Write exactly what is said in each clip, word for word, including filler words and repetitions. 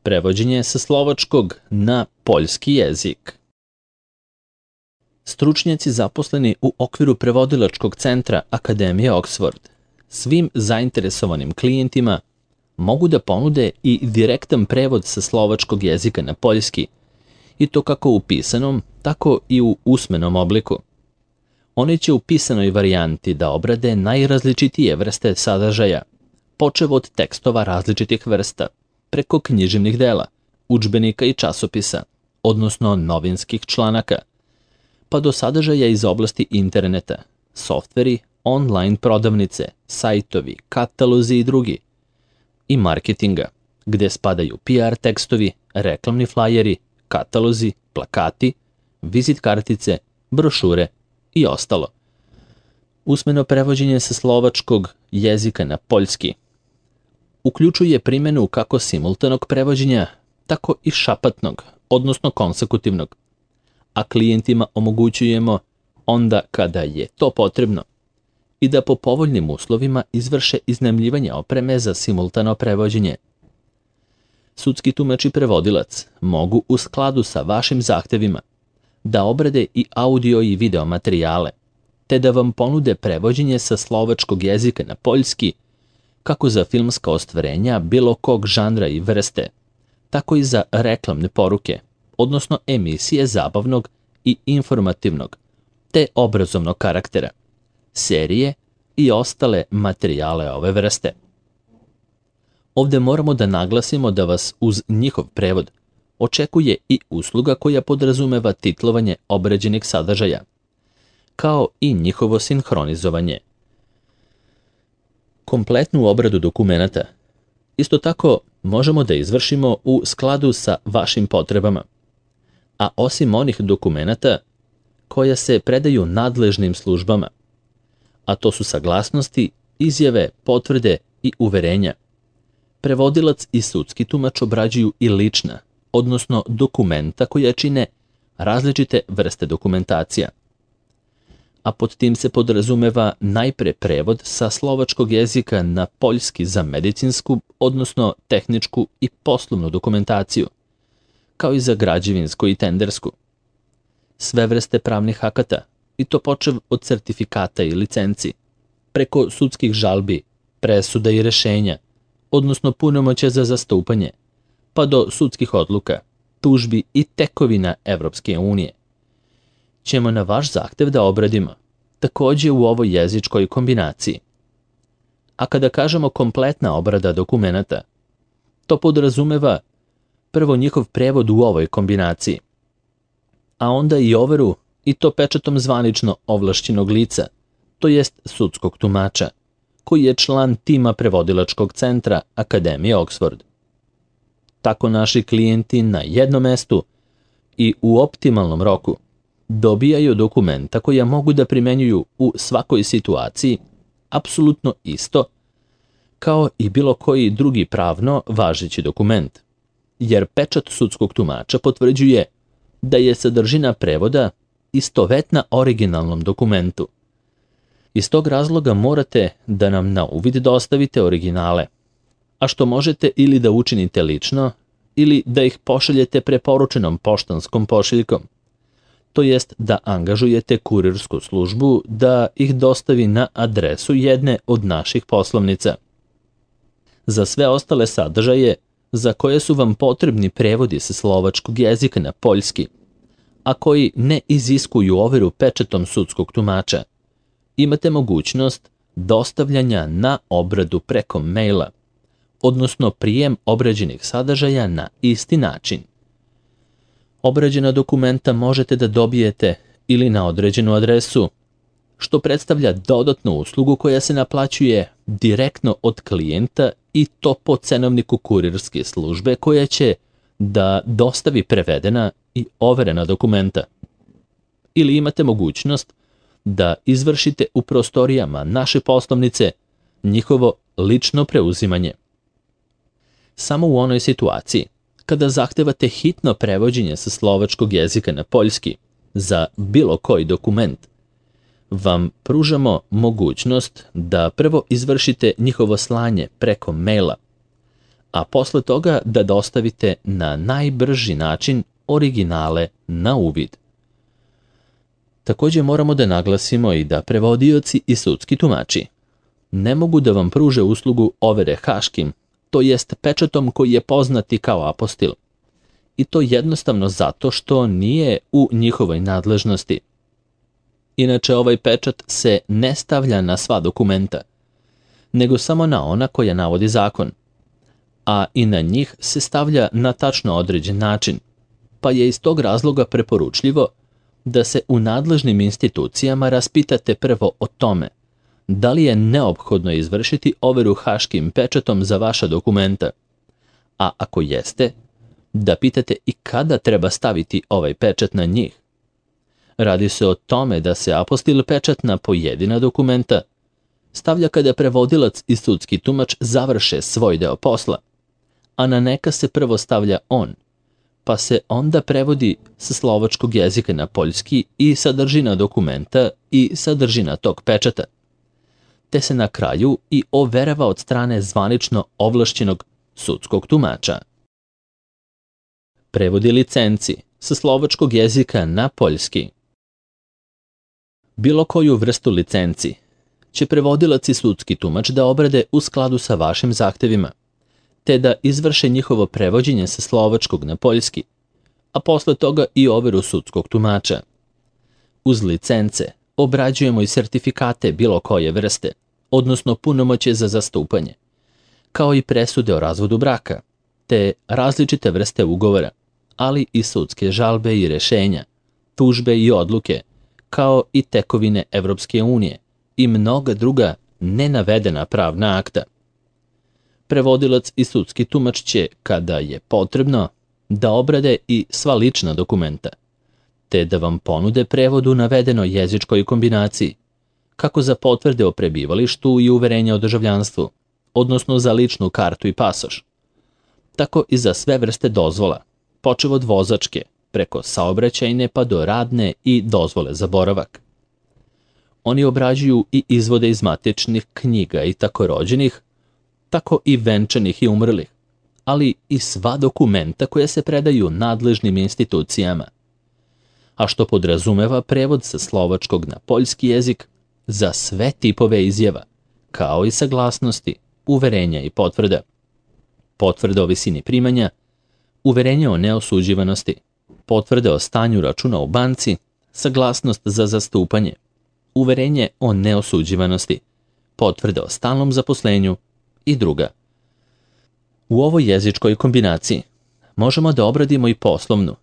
prevođenje sa slovačkog na poljski jezik. Stručnjaci zaposleni u okviru prevodilačkog centra Akademije Oxford svim zainteresovanim klijentima mogu da ponude i direktan prevod sa slovačkog jezika na poljski, i to kako u pisanom, tako i u usmenom obliku. Oni će u pisanoj varijanti da obrade najrazličitije vrste sadržaja, počev od tekstova različitih vrsta, preko književnih dela, udžbenika i časopisa, odnosno novinskih članaka, pa do sadržaja iz oblasti interneta, softveri, online prodavnice, sajtovi, katalozi i drugi, i marketinga, gde spadaju P R tekstovi, reklamni flajeri, katalozi, plakati, vizit kartice, brošure i ostalo. Usmeno prevođenje sa slovačkog jezika na poljski uključuje primjenu kako simultanog prevođenja, tako i šapatnog, odnosno konsekutivnog, a klijentima omogućujemo onda kada je to potrebno i da po povoljnim uslovima izvrše iznajmljivanje opreme za simultano prevođenje. Sudski tumač i prevodilac mogu u skladu sa vašim zahtevima da obrade i audio i video materijale, te da vam ponude prevođenje sa slovačkog jezika na poljski, kako za filmska ostvarenja bilo kog žanra i vrste, tako i za reklamne poruke, odnosno emisije zabavnog i informativnog, te obrazovnog karaktera, serije i ostale materijale ove vrste. Ovde moramo da naglasimo da vas uz njihov prevod očekuje i usluga koja podrazumeva titlovanje obrađenih sadržaja, kao i njihovo sinhronizovanje. Kompletnu obradu dokumenata isto tako možemo da izvršimo u skladu sa vašim potrebama, a osim onih dokumenata koja se predaju nadležnim službama, a to su saglasnosti, izjave, potvrde i uverenja, prevodilac i sudski tumač obrađuju i lična, odnosno dokumenta koja čine različite vrste dokumentacija. A pod tim se podrazumeva najpre prevod sa slovačkog jezika na poljski za medicinsku, odnosno tehničku i poslovnu dokumentaciju, kao i za građevinsku i tendersku. Sve vrste pravnih akata, i to počev od sertifikata i licenci, preko sudskih žalbi, presuda i rešenja, odnosno punomoćja za zastupanje, pa do sudskih odluka, tužbi i tekovina Evropske unije, ćemo na vaš zahtev da obradimo, takođe u ovoj jezičkoj kombinaciji. A kada kažemo kompletna obrada dokumenata, to podrazumeva prvo njihov prevod u ovoj kombinaciji, a onda i overu, i to pečatom zvanično ovlašćenog lica, to jest sudskog tumača, koji je član tima prevodilačkog centra Akademije Oxford. Tako naši klijenti na jednom mestu i u optimalnom roku dobijaju dokumenta koja mogu da primenjuju u svakoj situaciji apsolutno isto kao i bilo koji drugi pravno važeći dokument, jer pečat sudskog tumača potvrđuje da je sadržina prevoda istovetna originalnom dokumentu. Iz tog razloga morate da nam na uvid dostavite originale, a što možete ili da učinite lično ili da ih pošaljete preporučenom poštanskom pošiljkom, to jest da angažujete kurirsku službu da ih dostavi na adresu jedne od naših poslovnica. Za sve ostale sadržaje za koje su vam potrebni prevodi sa slovačkog jezika na poljski, a koji ne iziskuju overu pečatom sudskog tumača, imate mogućnost dostavljanja na obradu preko maila, odnosno prijem obrađenih sadržaja na isti način. Obrađena dokumenta možete da dobijete ili na određenu adresu, što predstavlja dodatnu uslugu koja se naplaćuje direktno od klijenta i to po cenovniku kurirske službe koja će da dostavi prevedena i overena dokumenta. Ili imate mogućnost da izvršite u prostorijama naše poslovnice njihovo lično preuzimanje. Samo u onoj situaciji kada zahtevate hitno prevođenje sa slovačkog jezika na poljski za bilo koji dokument, vam pružamo mogućnost da prvo izvršite njihovo slanje preko maila, a posle toga da dostavite na najbrži način originale na uvid. Takođe moramo da naglasimo i da prevodioci i sudski tumači ne mogu da vam pruže uslugu overe haškim, to jest pečatom koji je poznati kao apostil. I to jednostavno zato što nije u njihovoj nadležnosti. Inače, ovaj pečat se ne stavlja na sva dokumenta, nego samo na ona koja navodi zakon, a i na njih se stavlja na tačno određen način, pa je iz tog razloga preporučljivo da se u nadležnim institucijama raspitate prvo o tome da li je neophodno izvršiti overu haškim pečatom za vaša dokumenta, a ako jeste, da pitate i kada treba staviti ovaj pečat na njih. Radi se o tome da se apostil pečat na pojedina dokumenta stavlja kada prevodilac i sudski tumač završe svoj deo posla, a na neka se prvo stavlja on, pa se onda prevodi sa slovačkog jezika na poljski i sadržina dokumenta i sadržina tog pečata, te se na kraju i overava od strane zvanično ovlašćenog sudskog tumača. Prevodi licenci sa slovačkog jezika na poljski. Bilo koju vrstu licenci će prevodilac i sudski tumač da obrade u skladu sa vašim zahtevima, te da izvrše njihovo prevođenje sa slovačkog na poljski, a posle toga i overu sudskog tumača. Uz licence obrađujemo i sertifikate bilo koje vrste, odnosno punomoćje za zastupanje, kao i presude o razvodu braka, te različite vrste ugovora, ali i sudske žalbe i rešenja, tužbe i odluke, kao i tekovine Evropske unije i mnoga druga nenavedena pravna akta. Prevodilac i sudski tumač će, kada je potrebno, da obrade i sva lična dokumenta, te da vam ponude prevod u navedenoj jezičkoj kombinaciji, kako za potvrde o prebivalištu i uverenja o državljanstvu, odnosno za ličnu kartu i pasoš, tako i za sve vrste dozvola, počev od vozačke, preko saobraćajne pa do radne i dozvole za boravak. Oni obrađuju i izvode iz matičnih knjiga i tako rođenih, tako i venčanih i umrlih, ali i sva dokumenta koja se predaju nadležnim institucijama, a što podrazumeva prevod sa slovačkog na poljski jezik za sve tipove izjava, kao i saglasnosti, uverenja i potvrda, potvrde o visini primanja, uverenje o neosuđivanosti, potvrde o stanju računa u banci, saglasnost za zastupanje, uverenje o neosuđivanosti, potvrde o stalnom zaposlenju i druga. U ovoj jezičkoj kombinaciji možemo da obradimo i poslovnu,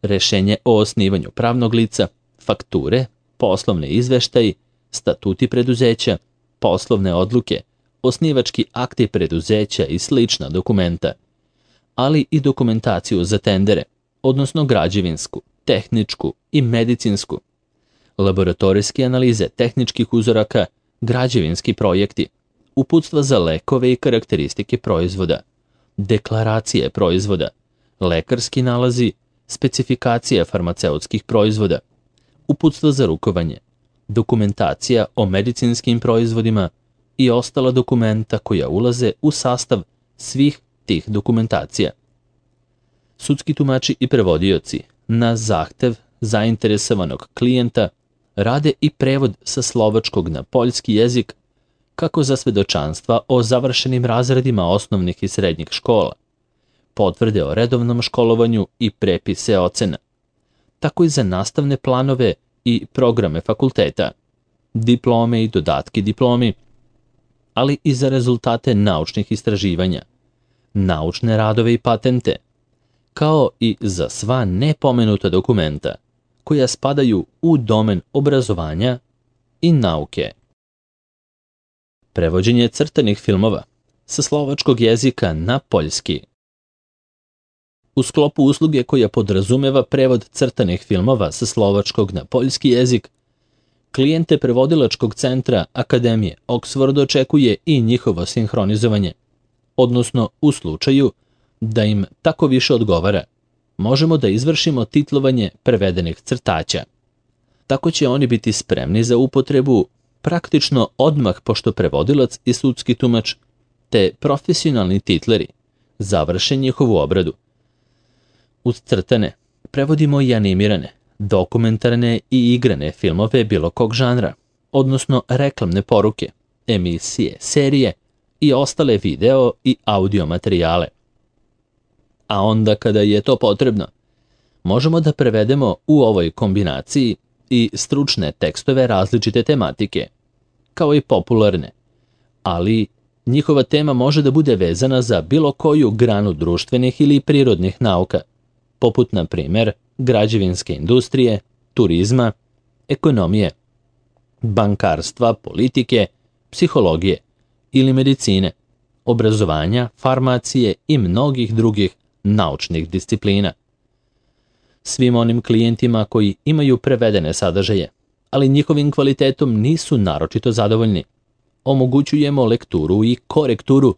rešenje o osnivanju pravnog lica, fakture, poslovne izveštaji, statuti preduzeća, poslovne odluke, osnivački akti preduzeća i slična dokumenta, ali i dokumentaciju za tendere, odnosno građevinsku, tehničku i medicinsku, laboratorijske analize tehničkih uzoraka, građevinski projekti, uputstva za lekove i karakteristike proizvoda, deklaracije proizvoda, lekarski nalazi, specifikacija farmaceutskih proizvoda, uputstva za rukovanje, dokumentacija o medicinskim proizvodima i ostala dokumenta koja ulaze u sastav svih tih dokumentacija. Sudski tumači i prevodioci na zahtev zainteresovanog klijenta rade i prevod sa slovačkog na poljski jezik, kako za svedočanstva o završenim razredima osnovnih i srednjih škola, potvrde o redovnom školovanju i prepise ocena, tako i za nastavne planove i programe fakulteta, diplome i dodatki diplomi, ali i za rezultate naučnih istraživanja, naučne radove i patente, kao i za sva nepomenuta dokumenta koja spadaju u domen obrazovanja i nauke. Prevođenje crtanih filmova sa slovačkog jezika na poljski. U sklopu usluge koja podrazumeva prevod crtanih filmova sa slovačkog na poljski jezik, klijente prevodilačkog centra Akademije Oxford očekuje i njihovo sinhronizovanje, odnosno u slučaju da im tako više odgovara, možemo da izvršimo titlovanje prevedenih crtaća. Tako će oni biti spremni za upotrebu praktično odmah pošto prevodilac i sudski tumač te profesionalni titleri završe njihovu obradu. Uz crtane prevodimo i animirane, dokumentarne i igrane filmove bilo kog žanra, odnosno reklamne poruke, emisije, serije i ostale video i audio materijale. A onda kada je to potrebno, možemo da prevedemo u ovoj kombinaciji i stručne tekstove različite tematike, kao i popularne, ali njihova tema može da bude vezana za bilo koju granu društvenih ili prirodnih nauka, poput, na primer, građevinske industrije, turizma, ekonomije, bankarstva, politike, psihologije ili medicine, obrazovanja, farmacije i mnogih drugih naučnih disciplina. Svim onim klijentima koji imaju prevedene sadržaje, ali njihovim kvalitetom nisu naročito zadovoljni, omogućujemo lekturu i korekturu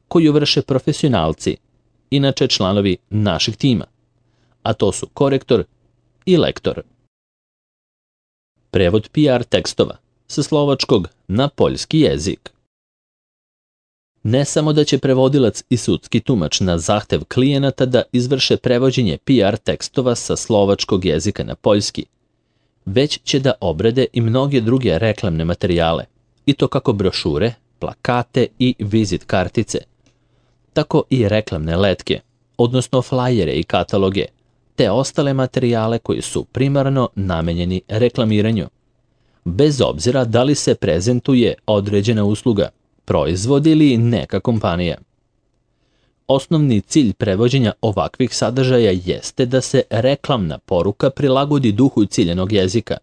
koju vrše profesionalci, inače članovi našeg tima, a to su korektor i lektor. Prevod P R tekstova sa slovačkog na poljski jezik. Ne samo da će prevodilac i sudski tumač na zahtev klijenata da izvrše prevođenje P R tekstova sa slovačkog jezika na poljski, već će da obrade i mnoge druge reklamne materijale, i to kako brošure, plakate i vizit kartice, tako i reklamne letke, odnosno flajere i kataloge, te ostale materijale koji su primarno namenjeni reklamiranju, bez obzira da li se prezentuje određena usluga, proizvod ili neka kompanija. Osnovni cilj prevođenja ovakvih sadržaja jeste da se reklamna poruka prilagodi duhu ciljanog jezika,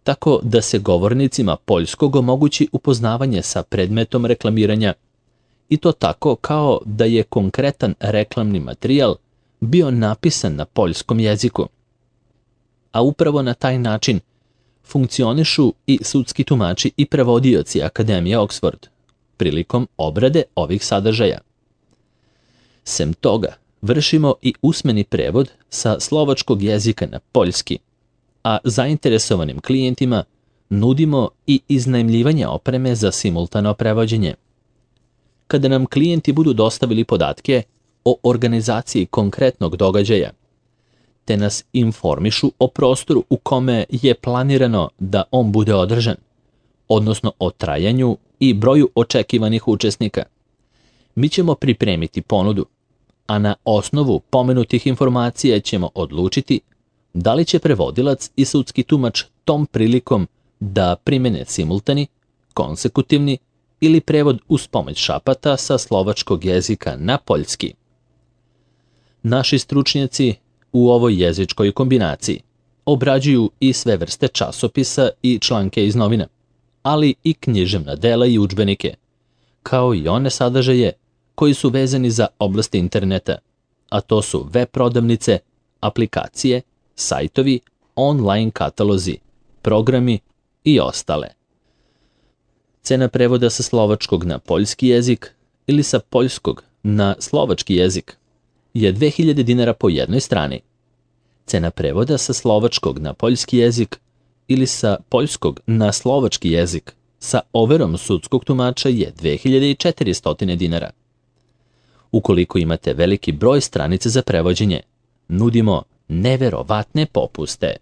tako da se govornicima poljskog omogući upoznavanje sa predmetom reklamiranja, i to tako kao da je konkretan reklamni materijal bio napisan na poljskom jeziku. A upravo na taj način funkcionišu i sudski tumači i prevodioci Akademije Oxford prilikom obrade ovih sadržaja. Sem toga, vršimo i usmeni prevod sa slovačkog jezika na poljski, a zainteresovanim klijentima nudimo i iznajmljivanje opreme za simultano prevođenje. Kada nam klijenti budu dostavili podatke o organizaciji konkretnog događaja, te nas informišu o prostoru u kome je planirano da on bude održan, odnosno o trajanju i broju očekivanih učesnika, mi ćemo pripremiti ponudu, a na osnovu pomenutih informacija ćemo odlučiti da li će prevodilac i sudski tumač tom prilikom da primene simultani, konsekutivni ili prevod uz pomoć šapata sa slovačkog jezika na poljski. Naši stručnjaci u ovoj jezičkoj kombinaciji obrađuju i sve vrste časopisa i članke iz novina, ali i književna dela i udžbenike, kao i one sadržaje koji su vezani za oblast interneta, a to su web prodavnice, aplikacije, sajtovi, online katalozi, programi i ostale. Cena prevoda sa slovačkog na poljski jezik ili sa poljskog na slovački jezik je dve hiljade dinara po jednoj strani. Cena prevoda sa slovačkog na poljski jezik ili sa poljskog na slovački jezik sa overom sudskog tumača je dve hiljade četiristo dinara. Ukoliko imate veliki broj stranica za prevođenje, nudimo neverovatne popuste.